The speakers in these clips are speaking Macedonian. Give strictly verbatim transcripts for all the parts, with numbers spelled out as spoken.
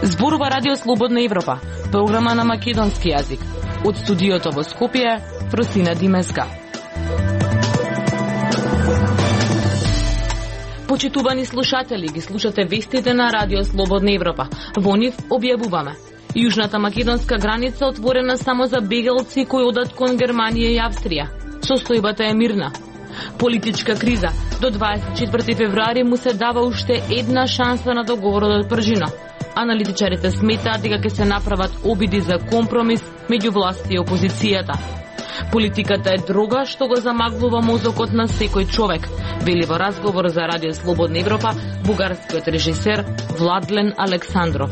Зборува Радио Слободна Европа, програма на македонски јазик. Од студиото во Скопје, Фросина Димеска. Почитувани слушатели, ги слушате вестите на Радио Слободна Европа. Во нив објавуваме: Јужната македонска граница отворена само за бегалци кои одат кон Германија и Австрија. Состојбата е мирна. Политичка криза. До дваесет и четврти февруари му се дава уште една шанса на договорот од Пржина. Аналитичарите сметаат дека ќе се направат обиди за компромис меѓу власти и опозицијата. Политиката е дрога што го замаглува мозокот на секој човек, вели во разговор за Радио Слободна Европа бугарскиот режисер Владлен Александров.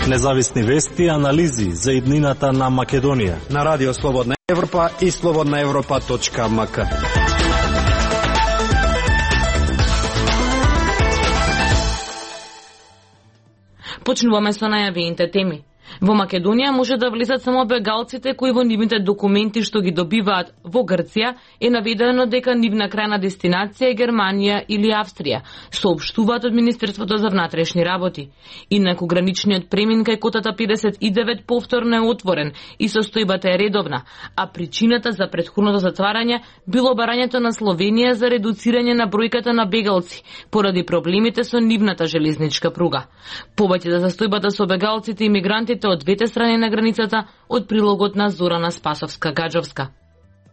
Независни вести и анализи за иднината на Македонија на Радио Слободна Европа и слободна европа точка ем ка. Почнуваме со најавените теми. Во Македонија може да влезат само бегалците кои во нивните документи што ги добиваат во Грција е наведено дека нивна крајна дестинација е Германија или Австрија, соопштуваат од Министерството за внатрешни работи. Инаку граничниот премин кај котата педесет и девет повторно е отворен и состојбата е редовна, а причината за претходното затварање било барањето на Словенија за редуцирање на бројката на бегалци поради проблемите со нивната железничка пруга. Повеќе за состојбата со бегалците и мигрантите од двете страни на границата од прилогот на Зорана Спасовска-Гаджовска.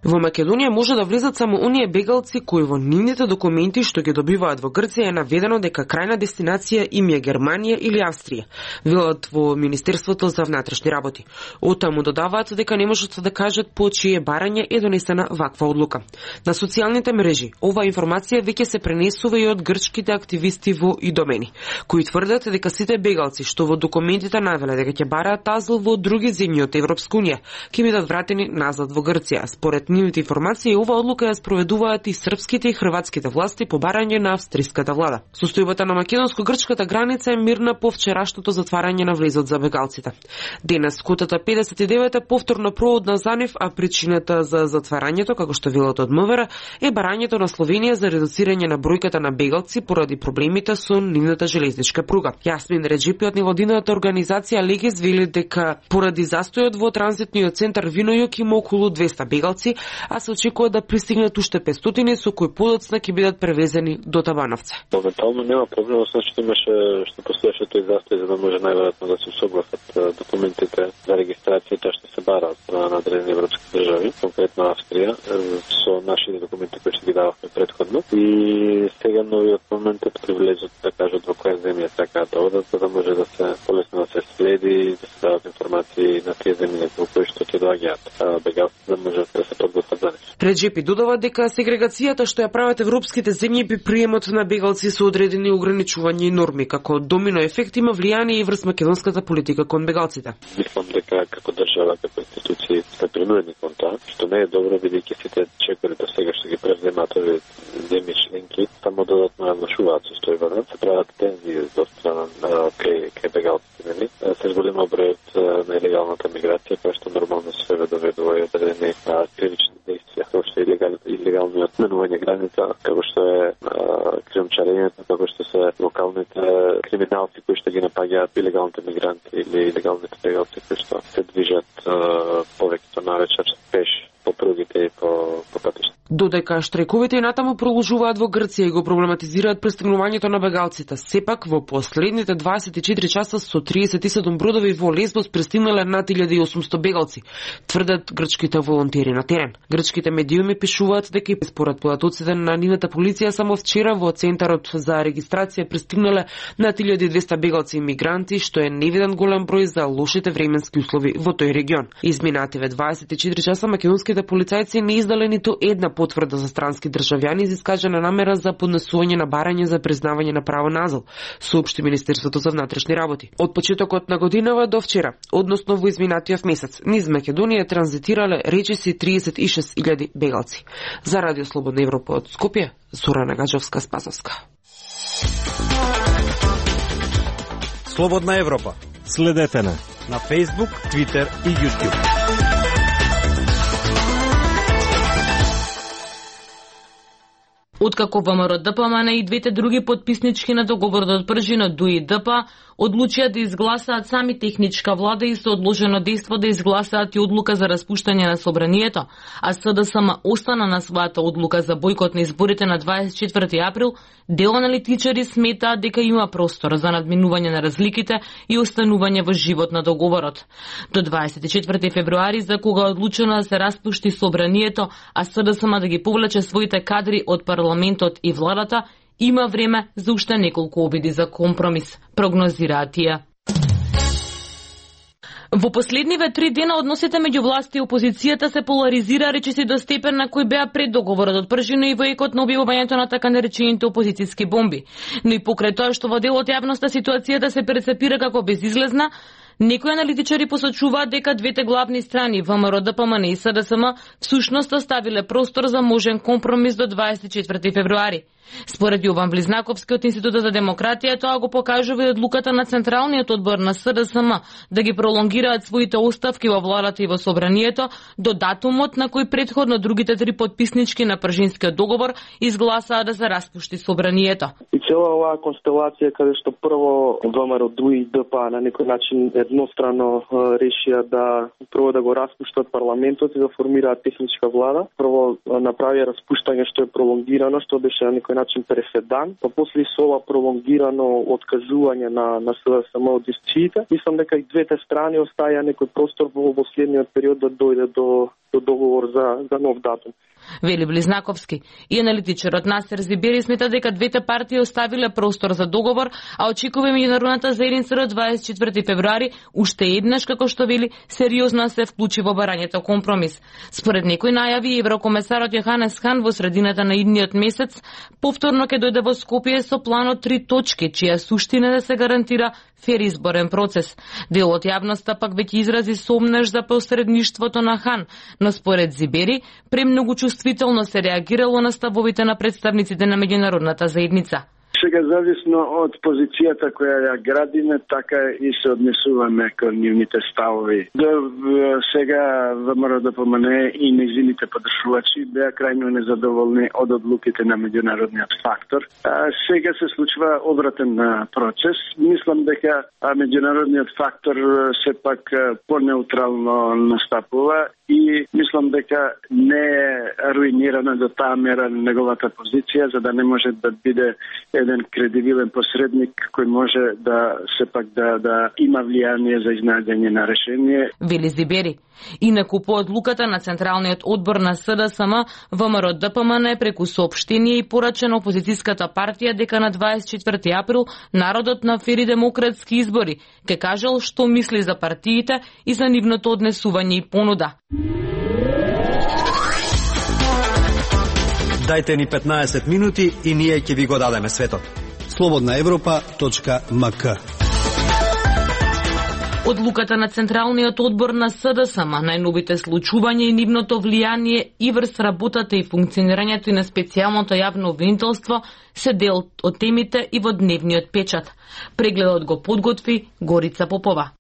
Во Македонија може да влезат само оние бегалци кои во нивните документи што ги добиваат во Грција е наведено дека крајна дестинација им е Германија или Австрија, велат во Министерството за внатрешни работи. Оттаму додаваат дека не можат да кажат по чие барање е донесена ваква одлука. На социјалните мрежи оваа информација веќе се пренесува и од грчките активисти во Идомени, кои тврдат дека сите бегалци што во документите навеле дека ќе бараат азил во други земји од Европска унија ќе бидат вратени назад во Грција. Според нивните информации, ова одлука ја спроведуваат и српските и хрватските власти по барање на австриската влада. Состојбата на македонско-грчката граница е мирна по вчерашното затварање на влезот за бегалците. Денес котата педесет и девет е повторно проводна за нив, а причината за затварањето, како што велат од МВР, е барањето на Словенија за редуцирање на бројката на бегалци поради проблемите со нивната железничка пруга. Јасмин Реджипи од невладината организација Легес вели дека поради застојот во транзитниот центар Винојук има околу двесте бегалци, а се очекува да пристигнат уште петстотини со кои подоцна ќе бидат превезени до Табановце. Моментално нема проблем, освен што имаше што постоеше тој застој за да може најверојатно да се усогласат документите за регистрацијата што се бараат на одредени европски држави, конкретно Австрија, со нашите документи кои што ги дававме претходно. И сега новиот момент е при влезот да кажат во која земја сакаат да одат, за да може да се полесно да се следи, да се дават информации на тие земји во кои што ќе доаѓаат бегалци, да може да се Реджепи додава дека сегрегацијата што ја прават европските земји би приемот на бегалци со одредени ограничувања и норми, како домино ефект има влијание и врз македонската политика кон бегалците. Мислам дека како држава, како институции сме принудени кон тоа, што не е добро бидејќи сите чекори до сега што ги превземаат овие земји членки само додатно ја влошуваат состојбата, се прават тензии до страна кај кај бегалците, нели? Се зголема бројот на илегалната миграција, која што нормално се доведува и одредени кривични действија, како што е илегалниот менување граница, како што е кримчарењето, како што се локалните криминалци кои што ги напаѓаат илегалните мигранти или илегалните бегалци кои што се движат повеќето навечер пеш по пругите и по, по патишта. Додека штрајковите и натаму продолжуваат во Грција и го проблематизираат пристигнувањето на бегалците, сепак во последните дваесет и четири часа со триесет и седум бродови во Лесбос пристигнале над илјада и осумсто бегалци, тврдат грчките волонтери на терен. Грчките медиуми пишуваат дека според податоците на нивната полиција само вчера во центарот за регистрација пристигнале над илјада и двесте бегалци и мигранти, што е невиден голем број за лошите временски услови во тој регион. Изминативе дваесет и четири часа македонските полицајци не издале ниту една потврда за странски државјани за искажана намера за поднесување на барање за признавање на право на азил, соопшти Министерството за внатрешни работи. Од почетокот на годинава до вчера, односно во изминатиот месец, низ Македонија транзитирале речиси триесет и шест илјади бегалци. За Радио Слободна Европа од Скопје, Зорана Гаджовска-Спасовска. Слободна Европа. Следете на на Facebook, Twitter и YouTube. Откако ВМРО-ДПМН и двете други потписнички на договорот од Пржино ДУИ-ДП одлучија да изгласаат сами техничка влада и со одложено дејство да изгласаат и одлука за распуштање на собранието, а СДСМ остана на својата одлука за бојкот на изборите на дваесет и четврти април, дел аналитичари сметаат дека има простор за надминување на разликите и останување во живот на договорот. До дваесет и четврти февруари, за кога е одлучено да се распушти собранието, а СДСМ да ги повлече своите кадри од парламентот и владата, има време за уште неколку обиди за компромис, прогнозираат тие. Во последниве три дена односите меѓу власт и опозицијата се поларизира речиси до степен на кој беа пред договорот од Пржино и во екот на објавувањето на така наречените опозицијски бомби. Но и покрај тоа што во дел од јавноста ситуацијата се перцепира како безизлезна, некои аналитичари посочуваат дека двете главни страни, ВМРО-ДПМН и СДСМ, всушност оставиле простор за можен компромис до дваесет и четврти февруари. Според Јован Близнаковски од Институтот за демократија, тоа го покажува и одлуката на Централниот одбор на СДСМ да ги пролонгираат своите оставки во владата и во собранието до датумот на кој претходно другите три потписнички на Пржинскиот договор изгласаа да се распушти собранието. И цела оваа констелација каде што прво ВМРО-ДУИ-ДП на некој начин еднострано решија да прво да го распуштат парламентот и да формираат техничка влада. Прво направија распуштање што е пролонгирано, што беше на некој начин преседан, па после со ова пролонгирано откажување на на СДСМ од дискусиите, мислам дека и двете страни оставија некој простор во последниот период да дојде до до договор за за нов датум. Вели Близнаковски. И аналитичарот Насер Зибери смета дека двете партии оставиле простор за договор, а очекува меѓународната заедница до дваесет и четврти февруари уште еднаш, како што вели, сериозно се вклучи во барањето компромис. Според некои најави, еврокомесарот Јоханес Хан во средината на идниот месец повторно ќе дојде во Скопје со планот три точки, чија суштина да се гарантира фер изборен процес. Дел од јавноста пак веќе изрази сомнеж за посредништвото на Хан, но според Зибери, премногу чувствително се реагирало на ставовите на представниците на меѓународната заедница. Сега зависно од позицијата која ја градиме, така и се однесуваме кон нивните ставови. До сега ВМРО-ДПМН и нејзините подржувачи беа крајно незадоволни од одлуките на меѓународниот фактор. А сега се случува обратен процес. Мислам дека меѓународниот фактор сепак понеутрално настапува и мислам дека не е руинирана до таа мера неговата позиција, за да не може да биде еден кредибилен посредник кој може да сепак да да има влијание за изнајдење на решение. Вели Зибери. Инаку по одлуката на Централниот одбор на СДСМ, ВМРО-ДПМН преку соопштение и порачено опозицијската партија дека на дваесет и четврти април народот на фери демократски избори ке кажал што мисли за партиите и за нивното однесување и понуда. Дајте ни петнаесет минути и ние ќе ви го дадеме светот. слободна европа точка ем ка. Одлуката на Централниот одбор на СДСМ, најновите случувања и нивното влијание и врз работата и функционирањето и на специјалното јавно обвинителство се дел од темите и во дневниот печат. Прегледот го подготви Горица Попова.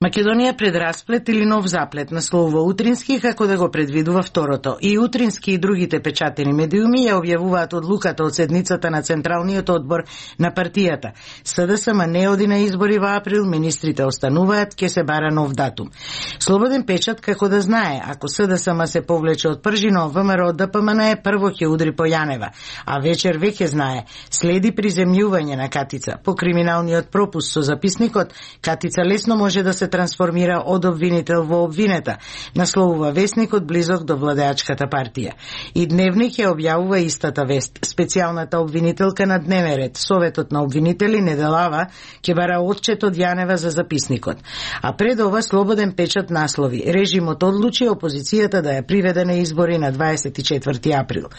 Македонија пред расплет или нов заплет, насловува Утрински, како да го предвидува второто. И Утрински и другите печатени медиуми ја објавуваат одлуката од седницата на Централниот одбор на партијата. СДСМ не оди на избори во април, министрите остануваат, ке се бара нов датум. Слободен печат како да знае, ако СДСМ се повлече од Пржино, ВМРО-ДПМН прво ќе удри по Јанева, а вечер веќе знае, следи приземјување на Катица. По криминалниот пропуск со записникот, Катица лесно може да се трансформира од обвинител во обвинета, насловува весникот близок до владеачката партија. И Дневник ја објавува истата вест. Специјалната обвинителка на дневен ред, Советот на обвинители Неделава, ќе бара отчет од Јанева за записникот. А пред ова Слободен печат наслови: режимот одлучи опозицијата да ја приведе на избори на дваесет и четврти април.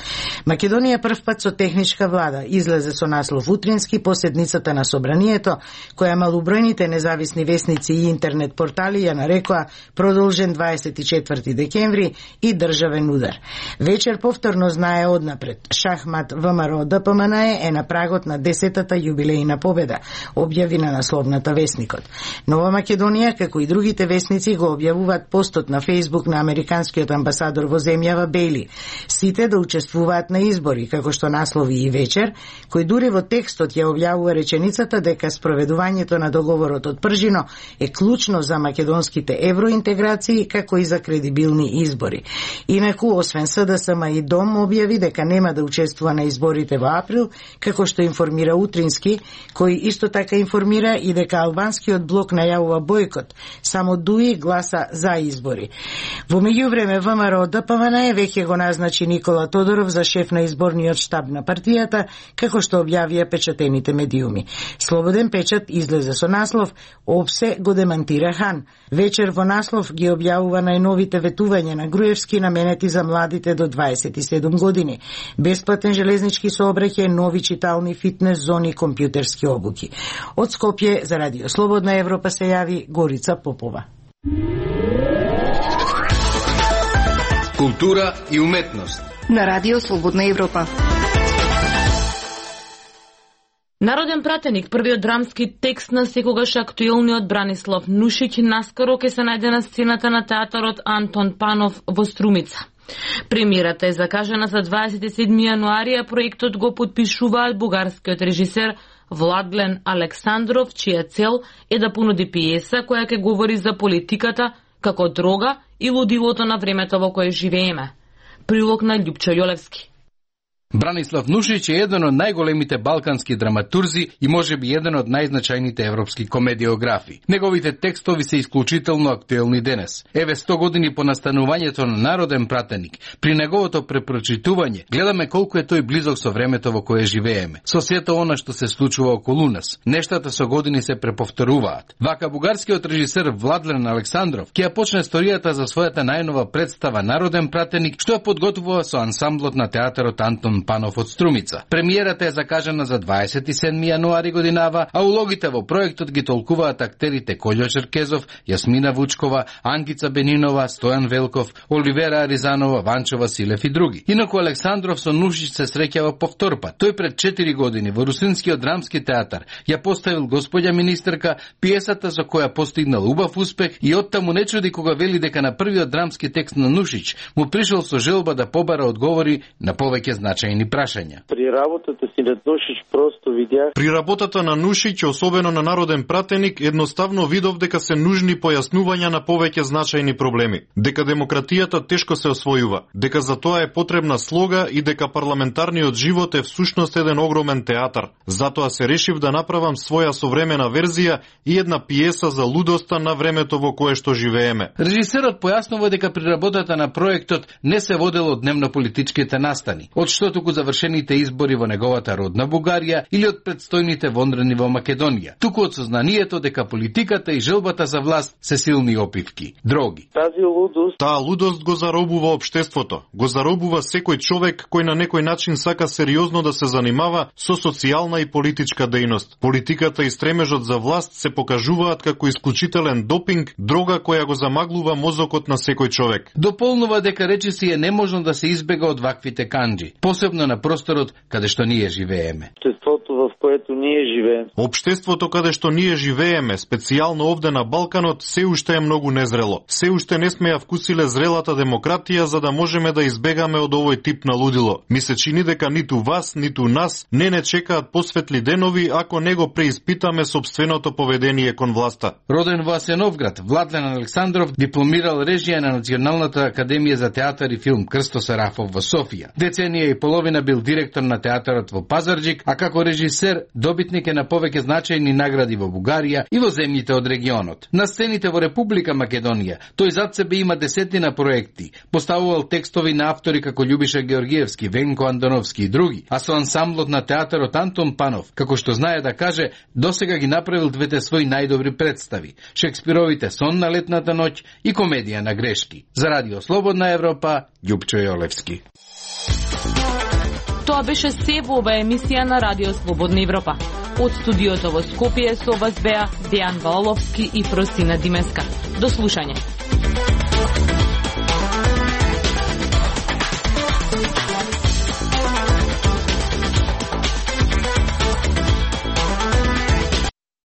Македонија првпат со техничка влада излезе со наслов Утрински по седницата на собранието, која малобројните независни весници и интернет интернет портали ја нарекоа продолжен дваесет и четврти декември и државен удар. Вечер повторно знае однапред. Шахмат ВМРО ДПМН е на прагот на десетата јубилејна победа, објави на насловната Весникот. Нова Македонија, како и другите весници, го објавуваат постот на Фејсбук на американскиот амбасадор во земјава Бейли. Сите да учествуваат на избори, како што наслови и Вечер, кој дури во текстот ја објавува реченицата дека спроведувањето на договорот од Пржино е клучно за македонските евроинтеграции, како и за кредибилни избори. Инаку, освен СДСМ и Дом објави дека нема да учествува на изборите во април, како што информира Утрински, кој исто така информира и дека албанскиот блок најавува бојкот, само Дуи гласа за избори. Во меѓувреме ВМРО ДПМН веќе го назначи Никола Тодоров за шеф на изборниот штаб на партијата, како што објавија печатените медиуми. Слободен печат излезе со наслов "Опсе го демантира Хан". Вечер во наслов ги објавува најновите ветувања на Груевски наменети за младите до дваесет и седум години. Бесплатен железнички сообраќај, нови читални, фитнес зони, компјутерски обуки. Од Скопје за Радио Слободна Европа се јави Горица Попова. Култура и уметност на Радио Слободна Европа. Народен пратеник, првиот драмски текст на секогаш актуелниот Бранислав Нушиќ, наскоро ќе се најде на сцената на театарот Антон Панов во Струмица. Премиерата е закажана за дваесет и седми јануари, а проектот го подпишуваат бугарскиот режисер Владлен Александров, чија цел е да понуди пиеса која ќе говори за политиката како дрога и лудилото на времето во кое живееме. Прилог на Љупчо Јолевски. Бранислав Нушиќ е еден од најголемите балкански драматурзи и можеби еден од најзначајните европски комедиографи. Неговите текстови се исклучително актуелни денес. Еве сто години по настанувањето на Народен пратеник, при неговото препрочитување, гледаме колку е тој близок со времето во кое живееме. Со сето она што се случува околу нас, нештата со години се преповторуваат. Вака бугарскиот режисер Владлен Александров ќе ја почне историјата за својата најнова представа Народен пратеник, што ја подготвува со ансамблот на театарот Антон Панов од Струмица. Премиерата е закажана за дваесет и седми јануари годинава, а улогите во проектот ги толкуваат актерите Колјо Черкезов, Јасмина Вучкова, Ангица Бенинова, Стојан Велков, Оливера Аризанова, Ванчо Василев и други. Инаку Александров со Нушиќ се среќава повторпат. Тој пред четири години во Русинскиот драмски театар ја поставил Господја министерка, пиесата со која постигнал убав успех, и оттаму не чуди кога вели дека на првиот драмски текст на Нушиќ му пришол со желба да побара одговори на повеќе значајни прашања. При работата си на Нушиќ просто видях. При работата на Нушиќ, особено на Народен пратеник, едноставно видов дека се нужни појаснувања на повеќе значајни проблеми, дека демократијата тешко се освојува, дека за тоа е потребна слога и дека парламентарниот живот е всушност еден огромен театар. Затоа се решив да направам своја современа верзија и една пиеса за лудоста на времето во кое што живееме. Режисерот појаснува дека при работата на проектот не се водело дневно политичките настани, од што туку завршените избори во неговата родна Бугарија или од предстојните вондрени во Македонија, туку од сознанието дека политиката и желбата за власт се силни опивки, дроги. Тази лудост, таа лудост го заробува општеството, го заробува секој човек кој на некој начин сака сериозно да се занимава со социјална и политичка дејност. Политиката и стремежот за власт се покажуваат како исклучителен допинг, дрога која го замаглува мозокот на секој човек. Дополнува дека речиси е неможно да се избега од ваквите канџи, посебно на просторот каде што ние живееме. Општеството во което ние живееме. Општеството каде што ние живееме, специјално овде на Балканот, се уште е многу незрело. Се уште не сме ја вкусиле зрелата демократија за да можеме да избегаме од овој тип на лудило. Ми се чини дека ниту вас, ниту нас не не чекаат посветли денови ако не го преиспитаме собственото поведение кон власта. Роден во Асеновград, Владлен Александров дипломирал режија на Националната академија за театар и филм Крсто Сарафов во Софија. Деценија и половина бил директор на театарот во Пазарџик, а како режисер добитник е на повеќе значајни награди во Бугарија и во земјите од регионот. На сцените во Република Македонија тој зад себе има десетина проекти. Поставувал текстови на автори како Љубиша Георгиевски, Венко Андоновски и други, а со ансамблот на театарот Антон Панов, како што знае да каже, досега ги направил двете своји најдобри представи: Шекспировите Сон на летната ноќ и Комедија на грешки. За Радио Слободна Европа, Љупчо Јолевски. Тоа беше се во оваа емисија на Радио Слободна Европа. Од студиото во Скопје со вас беа Дејан Валовски и Фросина Димеска. До слушање.